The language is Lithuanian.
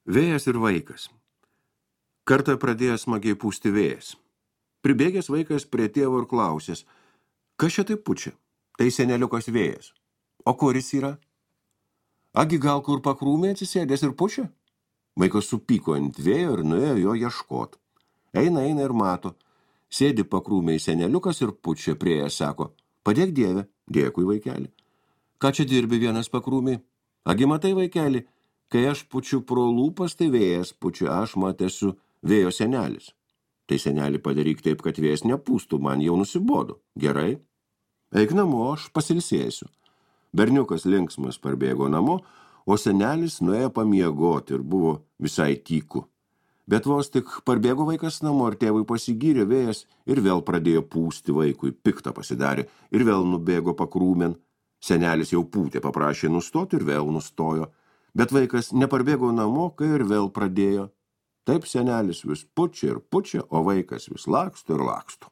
Vėjas ir vaikas. Kartą pradėjo smagiai pūsti vėjas. Pribėgęs vaikas prie tėvo ir klausės, kas čia taip pučia? Tai seneliukas vėjas. O kur jis yra? Agi gal kur pakrūmė atsisėdęs ir pučia? Vaikas supyko ant vėjo ir nuėjo jo ieškot. Eina ir mato. Sėdi pakrūmėj seneliukas ir pučia prieėjęs, sako, padėk Dieve, dėkui vaikeli. Ką čia dirbi vienas pakrūmėj? Agi matai vaikeli, kai aš pučiu pro lūpas, tai vėjas pučia, aš esu vėjo senelis. Tai senelį padaryk taip, kad vėjas nepūstų, man jau nusibodo. Gerai? Eik namo, aš pasilsėsiu. Berniukas linksmas parbėgo namo, o senelis nuėjo pamiegoti ir buvo visai tyku. Bet vos tik parbėgo vaikas namo ir tėvui pasigyrė vėjas ir vėl pradėjo pūsti vaikui, piktą pasidarė ir vėl nubėgo pakrūmen. Senelis jau pūtė, paprašė nustoti ir vėl nustojo. Bet vaikas neparbėgo namo, kai ir vėl pradėjo. Taip senelis vis pučia ir pučia, o vaikas vis laksto ir laksto.